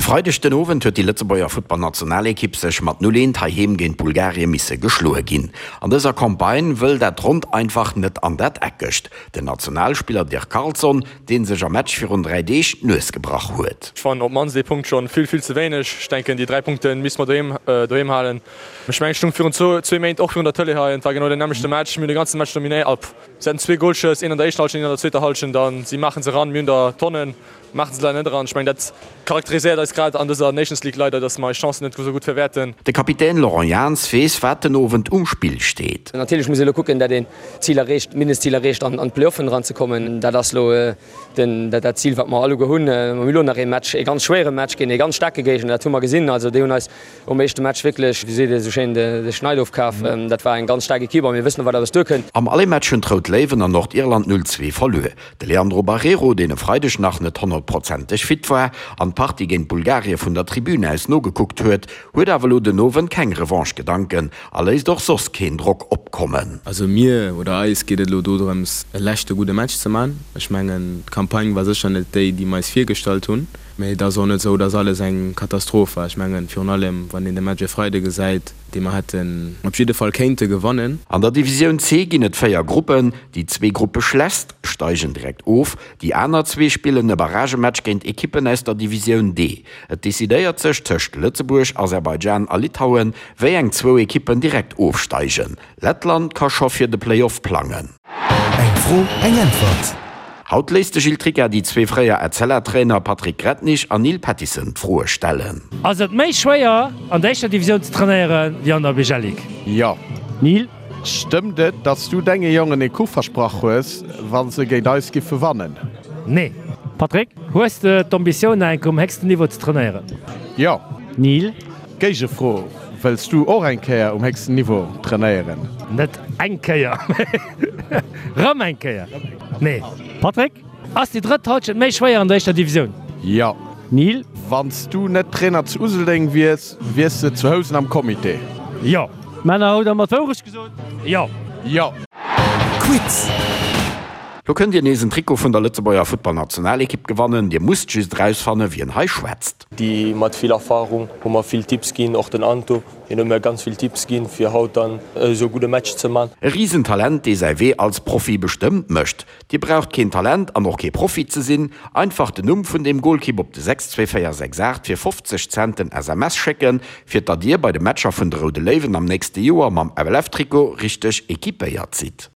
Freideg den Owend huet déi Lëtzebuerger Futtballnationalekipp sech mat 0, 1 heiheem géint Bulgarie misse geschloe ginn. An dëser Campagne wëll dat Ronnt einfach net an dat Eckegt. Den Nationalspiller Dirk Carlson, dee sech am Match virun 3 Deeg d'Nues gebrach huet. Ech fannen op d'mannst ee Punkt schonn vill, vill ze wéineg. Ech denken déi 3 Punkte misste mer doheem, doheem halen. Ech mengen ech stung virun zwou Méint och virun der Tëlee hei an et war genau deen nämmlechte Match. Mir hunn de ganze Match dominéiert. Si haten zwee Golschëss, een an der éischter Hallschent, een an der zweeter Hallschent an si maachen se eran. Mir hunn der Tonnen, maachen se leider net eran. Ech mengen, dat charakteriséiert eis grad an dëser Nations League leider, datt mer eis Chancen net esou gutt verwäerten. De Kapitän Laurent Jans weess, wat den Owend um Spill steet. Natierlech muss ee elo kucken, datt een d'Zil erreecht, d'Mindestzil erreecht, an d'Playoffen eranzekommen. Dat ass elo dat Zil, wat mer alleguer hunn. Mer hunn elo nach ee Match, ee ganz schwéiere Match géint ee ganz staarke Géigner. Dat hu mer gesinn. Also déi hunn eis Um éischte Match wierklech, wéi seet ee sou schéin, de Schneid ofkaf. Dat war eng ganz staark Ekipp a mir wëssen och, wat op eis duerkënnt. Am Aller-Match hunn d'Rout Léiwen an Nordirland 0, 2 verluer. De Leandro Barreiro, deen e Freideg nach net honnertprozenteg fit war an d'Partie géint Bulgarie vun der Tribün aus nogekuckt huet, huet awer elo den Owend keng Revanche-Gedanken a léisst och soss keen Drock opkommen. Also mir oder eis geet et elo dodrëms e leschte gudde Match ze man. Ech mengen d'Campagne war sécher net déi, déi mer eis virgestallt hunn. Mee et ass och net esou, dass alles eng Katastroph war. Ech mengen, virun allem wann een de Match e Freide gesäit, dee mer hätten op jidde Fall kéinte gewannen. An der Divisioun C ginn et 4 Gruppen. Déi zwee Gruppeschlechtst steigen direkt of, déi aner zwee spillen e Barragematch géint Ekippen aus der Divisioun D. Et decidéiert sech tëscht Lëtzebuerg, Aserbaidschan a Litauen, wéi eng zwou Ekippen direkt ofsteigen. Lettland ka scho fir de Play-Off plangen. Eng Fro, eng Äntwert. Haut léisst de Gilles Tricca déi zwee fréier Etzella-Trainer Patrick Grettnich an Neil Pattison d'Froe stellen. Ass et méi schwéier an der éischter Divisioun ze trainéiere wéi an der BGL-Ligue? Jo. Neil? Stëmmt et, datt s du denge Jongen ee Kuch versprach hues, wa se géint eis giffe wannen? Nee. Patrick, hues de d'Ambitioun nach eng Kéier um héchsten Niveau ze trainéieren? Jo. Neil? Géigefro, Wëlls du och eng Kéier um héchsten Niveau trainéieren? Net eng Kéier, mee rëm eng Kéier. Nee. Patrick, ass déi drëtt Halschent méi schwéier an der éischter Divisioun? Jo. Neil? Wann s du net Trainer zu Useldeng wiers, wiers de zu Housen am Comité? Jo. Männer, hutt der mer d'Wourecht gesot? Jo. Jo. Quiz. Lo kënnt Dir nees en Trikot vun der Lëtzebuerger Futtballnationalekipp gewannen. Dir musst just erausfanne wien hei schwätzt. Déi mat vill Erfahrung hu mer vill Tipps ginn, och den Anto, hien huet mir ganz vill Tipps ginn, fir haut dann esou gudde Match ze man. E Risentalent, dee säi Wee als Profi bestëmmt mécht. Dir braucht keen Talent an och kee Profi ze sinn, einfach den Numm vun deem Golkipp op de 62468 fir 50 Cent en SMS schécken, fir datt Dir bei de Matcher vun de Roude Léiwen am nächste Joer mam FLF-Trikot richteg equipéiert sidd.